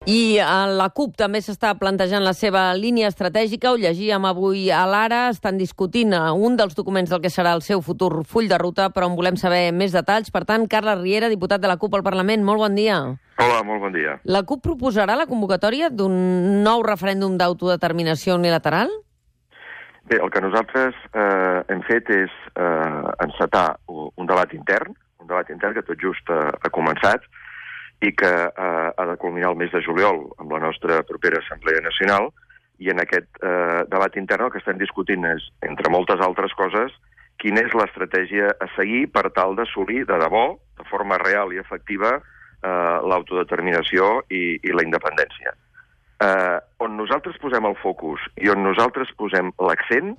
I la CUP també s'està plantejant la seva línia estratègica. Ho llegíem avui a l'Ara. Estan discutint un dels documents del que serà el seu futur full de ruta, però en volem saber més detalls. Per tant, Carles Riera, diputat de la CUP al Parlament, molt bon dia. Hola, molt bon dia. La CUP proposarà la convocatòria d'un nou referèndum d'autodeterminació unilateral? Bé, el que nosaltres hem fet és encetar un debat intern que tot just ha començat i que ha de culminar el mes de juliol amb la nostra propera Assemblea Nacional, i en aquest debat intern el que estem discutint és, entre moltes altres coses, quina és l'estratègia a seguir per tal d'assolir de debò, de forma real i efectiva, l'autodeterminació i la independència. On nosaltres posem el focus i on nosaltres posem l'accent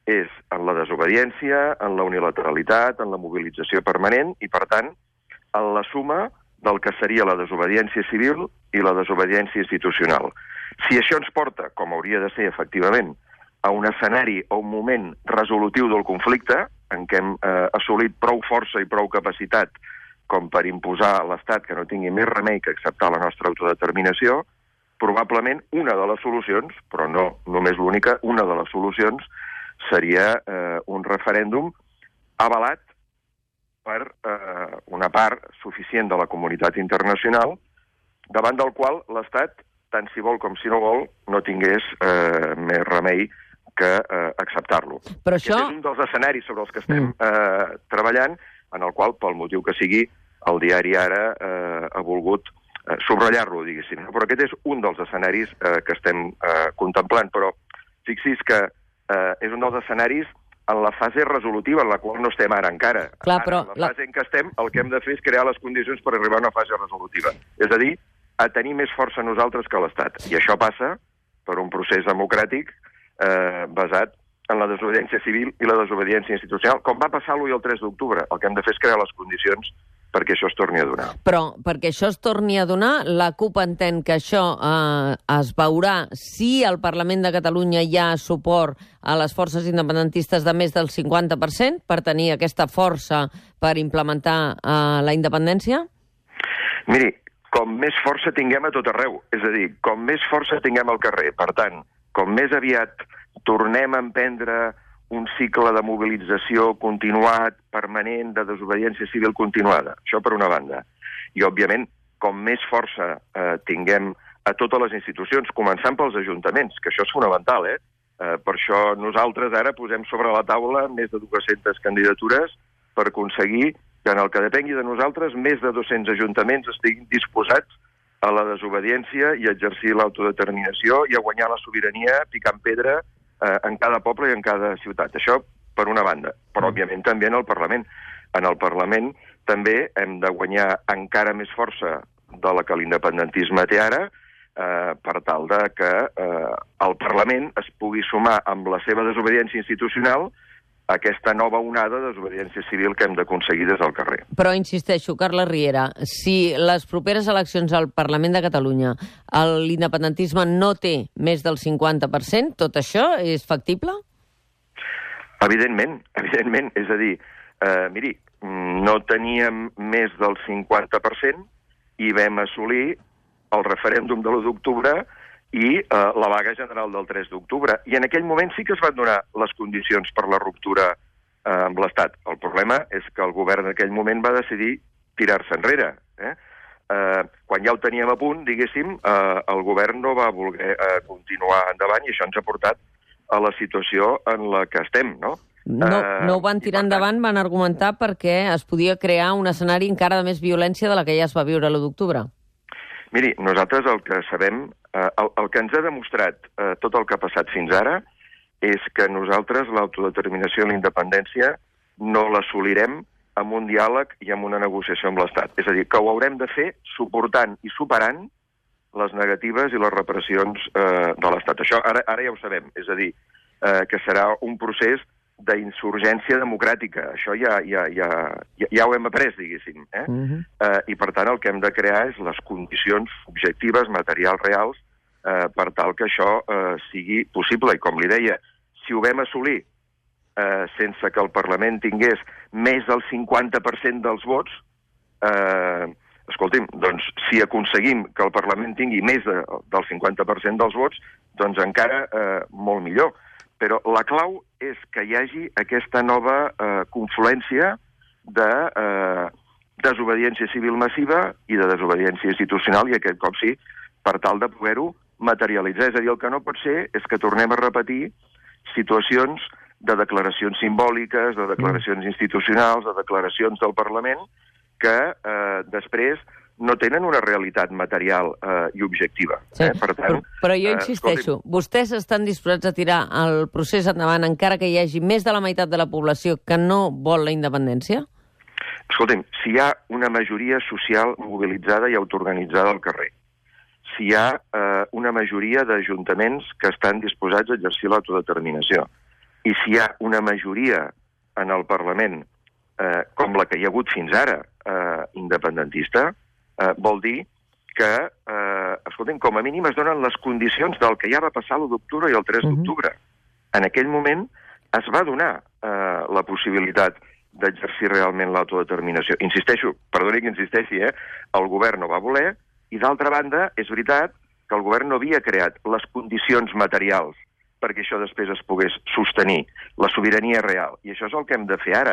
és en la desobediència, en la unilateralitat, en la mobilització permanent i, per tant, en la suma del que seria la desobediència civil i la desobediència institucional. Si això ens porta, com hauria de ser efectivament, a un escenari o un moment resolutiu del conflicte, en què hem assolit prou força i prou capacitat com per imposar a l'Estat que no tingui més remei que acceptar la nostra autodeterminació, probablement una de les solucions, però no només l'única, una de les solucions seria un referèndum avalat per una part suficient de la comunitat internacional, davant del qual l'Estat, tant si vol com si no vol, no tingués més remei que acceptar-lo. Però això... Aquest és un dels escenaris sobre els que estem treballant, en el qual, pel motiu que sigui, el diari Ara ha volgut subratllar-lo, diguéssim. Però aquest és un dels escenaris que estem contemplant. Però fixi's que és un dels escenaris en la fase resolutiva, en la qual no estem ara encara. Clar, però... En la fase en què estem, el que hem de fer és crear les condicions per arribar a una fase resolutiva. És a dir, a tenir més força nosaltres que l'Estat. I això passa per un procés democràtic basat en la desobediència civil i la desobediència institucional, com va passar l'1 i el 3 d'octubre. El que hem de fer és crear les condicions perquè això es torni a donar. Però perquè això es torni a donar, la CUP entén que això es veurà si al Parlament de Catalunya hi ha suport a les forces independentistes de més del 50% per tenir aquesta força per implementar la independència? Miri, com més força tinguem a tot arreu, és a dir, com més força tinguem al carrer, per tant, com més aviat tornem a emprendre un cicle de mobilització continuat, permanent, de desobediència civil continuada. Això per una banda. I, òbviament, com més força tinguem a totes les institucions, començant pels ajuntaments, que això és fonamental, Per això nosaltres ara posem sobre la taula més de 200 candidatures per aconseguir que en el que depengui de nosaltres més de 200 ajuntaments estiguin disposats a la desobediència i a exercir l'autodeterminació i a guanyar la sobirania picant pedra en cada poble i en cada ciutat. Això per una banda, però òbviament també en el Parlament. En el Parlament també hem de guanyar encara més força de la que l'independentisme té ara, per tal de que el Parlament es pugui sumar amb la seva desobediència institucional a aquesta nova onada de desobediència civil que hem d'aconseguir des del carrer. Però insisteixo, Carles Riera, si les properes eleccions al Parlament de Catalunya l'independentisme no té més del 50%, tot això és factible? Evidentment. És a dir, miri, no teníem més del 50% i vam assolir el referèndum de l'1 d'octubre i la vaga general del 3 d'octubre. I en aquell moment sí que es van donar les condicions per la ruptura amb l'Estat. El problema és que el govern en aquell moment va decidir tirar-se enrere. Quan ja ho teníem a punt, diguéssim, el govern no va voler continuar endavant i això ens ha portat a la situació en la que estem, no? No ho van tirar endavant, van argumentar perquè es podia crear un escenari encara de més violència de la que ja es va viure l'1 d'octubre. Miri, nosaltres el que sabem, el que ens ha demostrat tot el que ha passat fins ara és que nosaltres l'autodeterminació i la independència no l'assolirem amb un diàleg i amb una negociació amb l'Estat. És a dir, que ho haurem de fer suportant i superant les negatives i les repressions de l'Estat. Això ara ja ho sabem, és a dir, que serà un procés d'insurgència democràtica. Això ja ho hem après, diguéssim. I, per tant, el que hem de crear és les condicions objectives, materials, reals, per tal que això sigui possible. I, com li deia, si ho vam assolir sense que el Parlament tingués més del 50% dels vots, escolti'm, doncs si aconseguim que el Parlament tingui més del 50% dels vots, doncs encara molt millor. Però la clau és que hi hagi aquesta nova confluència de desobediència civil massiva i de desobediència institucional, i aquest cop sí, per tal de poder-ho materialitzar. És a dir, el que no pot ser és que tornem a repetir situacions de declaracions simbòliques, de declaracions institucionals, de declaracions del Parlament, que després no tenen una realitat material i objectiva. Sí, per tant, però jo insisteixo, vostès estan disposats a tirar el procés endavant encara que hi hagi més de la meitat de la població que no vol la independència? Escolti'm, si hi ha una majoria social mobilitzada i autoorganitzada al carrer, si hi ha una majoria d'ajuntaments que estan disposats a exercir l'autodeterminació, i si hi ha una majoria en el Parlament, com la que hi ha hagut fins ara, independentista, vol dir que, escolta'm, com a mínim es donen les condicions del que ja va passar l'1 d'octubre i el 3 d'octubre. En aquell moment es va donar la possibilitat d'exercir realment l'autodeterminació. Insisteixo, perdoni que insisteixi, el govern no va voler, i d'altra banda, és veritat que el govern no havia creat les condicions materials perquè això després es pogués sostenir, la sobirania real. I això és el que hem de fer ara.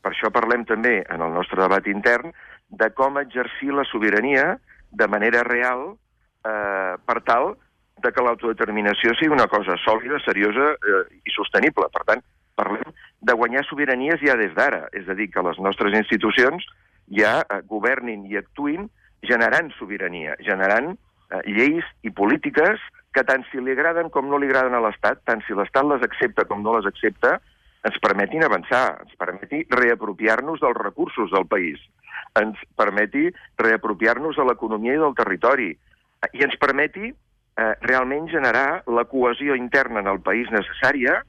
Per això parlem també en el nostre debat intern de com exercir la sobirania de manera real per tal de que l'autodeterminació sigui una cosa sòlida, seriosa i sostenible. Per tant, parlem de guanyar sobiranies ja des d'ara. És a dir, que les nostres institucions ja governin i actuïn generant sobirania, generant lleis i polítiques que tant si li agraden com no li agraden a l'Estat, tant si l'Estat les accepta com no les accepta, ens permetin avançar, ens permeti reapropiar-nos dels recursos del país, ens permeti reapropiar-nos de l'economia i del territori, i ens permeti realment generar la cohesió interna en el país necessària,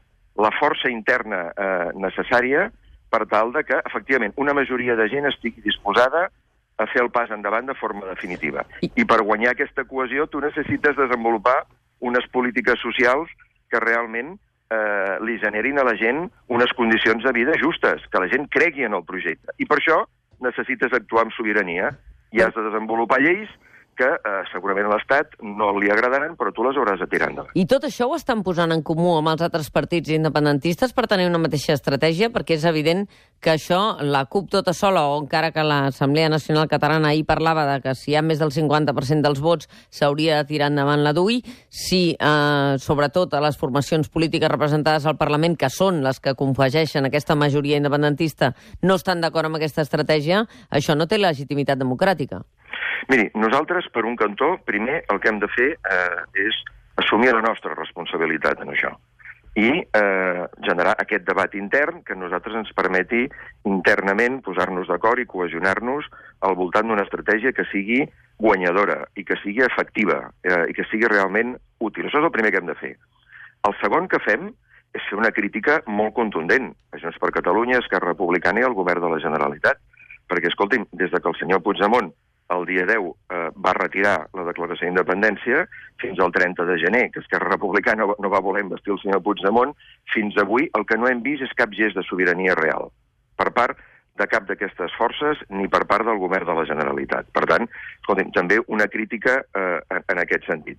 la força interna necessària, per tal de que, efectivament, una majoria de gent estigui disposada a fer el pas endavant de forma definitiva. I per guanyar aquesta cohesió tu necessites desenvolupar unes polítiques socials que realment li generin a la gent unes condicions de vida justes, que la gent cregui en el projecte. I per això necessites actuar amb sobirania i has de desenvolupar lleis que segurament a l'Estat no li agradaran, però tu les hauràs de tirar endavant. I tot això ho estan posant en comú amb els altres partits independentistes per tenir una mateixa estratègia? Perquè és evident que això, la CUP tota sola, o encara que l'Assemblea Nacional Catalana ahir parlava de que si hi ha més del 50% dels vots s'hauria de tirar endavant la DUI, si sobretot a les formacions polítiques representades al Parlament, que són les que confegeixen aquesta majoria independentista, no estan d'acord amb aquesta estratègia, això no té legitimitat democràtica. Miri, nosaltres, per un cantó, primer el que hem de fer és assumir la nostra responsabilitat en això i generar aquest debat intern que a nosaltres ens permeti internament posar-nos d'acord i cohesionar-nos al voltant d'una estratègia que sigui guanyadora i que sigui efectiva i que sigui realment útil. Això és el primer que hem de fer. El segon que fem és fer una crítica molt contundent a Junts per Catalunya, Esquerra Republicana i al govern de la Generalitat. Perquè, escolti'm, des que el senyor Puigdemont el dia 10 va retirar la declaració d'independència, fins al 30 de gener, que Esquerra Republicana no va voler investir el senyor Puigdemont, fins avui el que no hem vist és cap gest de sobirania real per part de cap d'aquestes forces ni per part del govern de la Generalitat. Per tant, escolti'm, també una crítica en aquest sentit.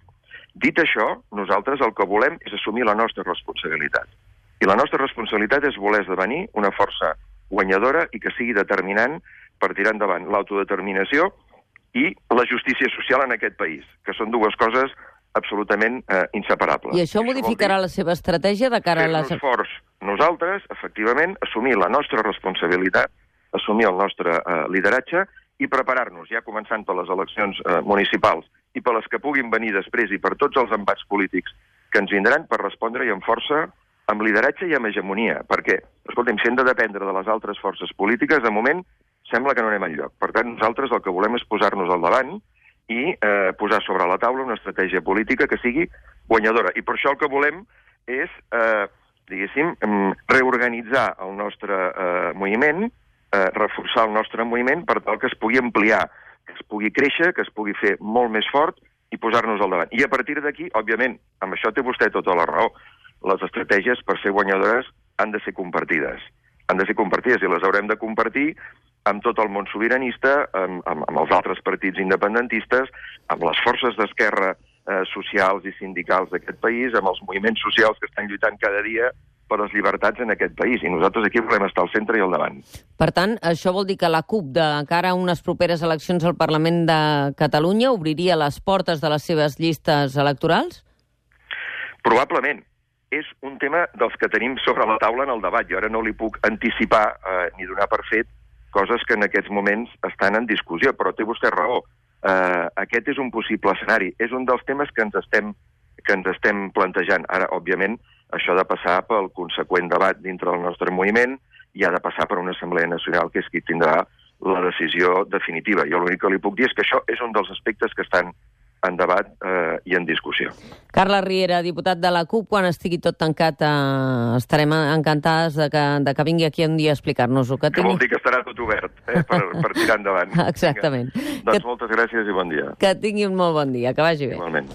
Dit això, nosaltres el que volem és assumir la nostra responsabilitat. I la nostra responsabilitat és voler esdevenir una força guanyadora i que sigui determinant per tirar endavant l'autodeterminació i la justícia social en aquest país, que són dues coses absolutament inseparables. I això modificarà la seva estratègia de cara a les... Fer-nos forts nosaltres, efectivament, assumir la nostra responsabilitat, assumir el nostre lideratge i preparar-nos, ja començant per les eleccions municipals i per les que puguin venir després i per tots els embats polítics que ens vindran per respondre-hi amb força, amb lideratge i amb hegemonia. Perquè, escolta'm, si hem de dependre de les altres forces polítiques, de moment sembla que no anem enlloc. Per tant, nosaltres el que volem és posar-nos al davant i posar sobre la taula una estratègia política que sigui guanyadora. I per això el que volem és, diguéssim, reorganitzar el nostre moviment, reforçar el nostre moviment per tal que es pugui ampliar, que es pugui créixer, que es pugui fer molt més fort i posar-nos al davant. I a partir d'aquí, òbviament, amb això té vostè tota la raó, les estratègies per ser guanyadores han de ser compartides. Han de ser compartides i les haurem de compartir amb tot el món sobiranista, amb els altres partits independentistes, amb les forces d'esquerra socials i sindicals d'aquest país, amb els moviments socials que estan lluitant cada dia per les llibertats en aquest país. I nosaltres aquí volem estar al centre i al davant. Per tant, això vol dir que la CUP, de cara a unes properes eleccions al Parlament de Catalunya, obriria les portes de les seves llistes electorals? Probablement. És un tema dels que tenim sobre la taula en el debat. Jo ara no li puc anticipar ni donar per fet coses que en aquests moments estan en discussió, però té vostè raó. Aquest és un possible escenari. És un dels temes que ens estem plantejant. Ara, òbviament, això ha de passar pel conseqüent debat dintre del nostre moviment i ha de passar per una Assemblea Nacional que és qui tindrà la decisió definitiva. Jo l'únic que li puc dir és que això és un dels aspectes que estan en debat i en discussió. Carles Riera, diputat de la CUP, quan estigui tot tancat estarem encantades de que vingui aquí un dia a explicar-nos-ho. Que vol dir que estarà tot obert per tirar endavant. Exactament. Doncs moltes gràcies i bon dia. Que tingui un molt bon dia, que vagi bé. Igualment.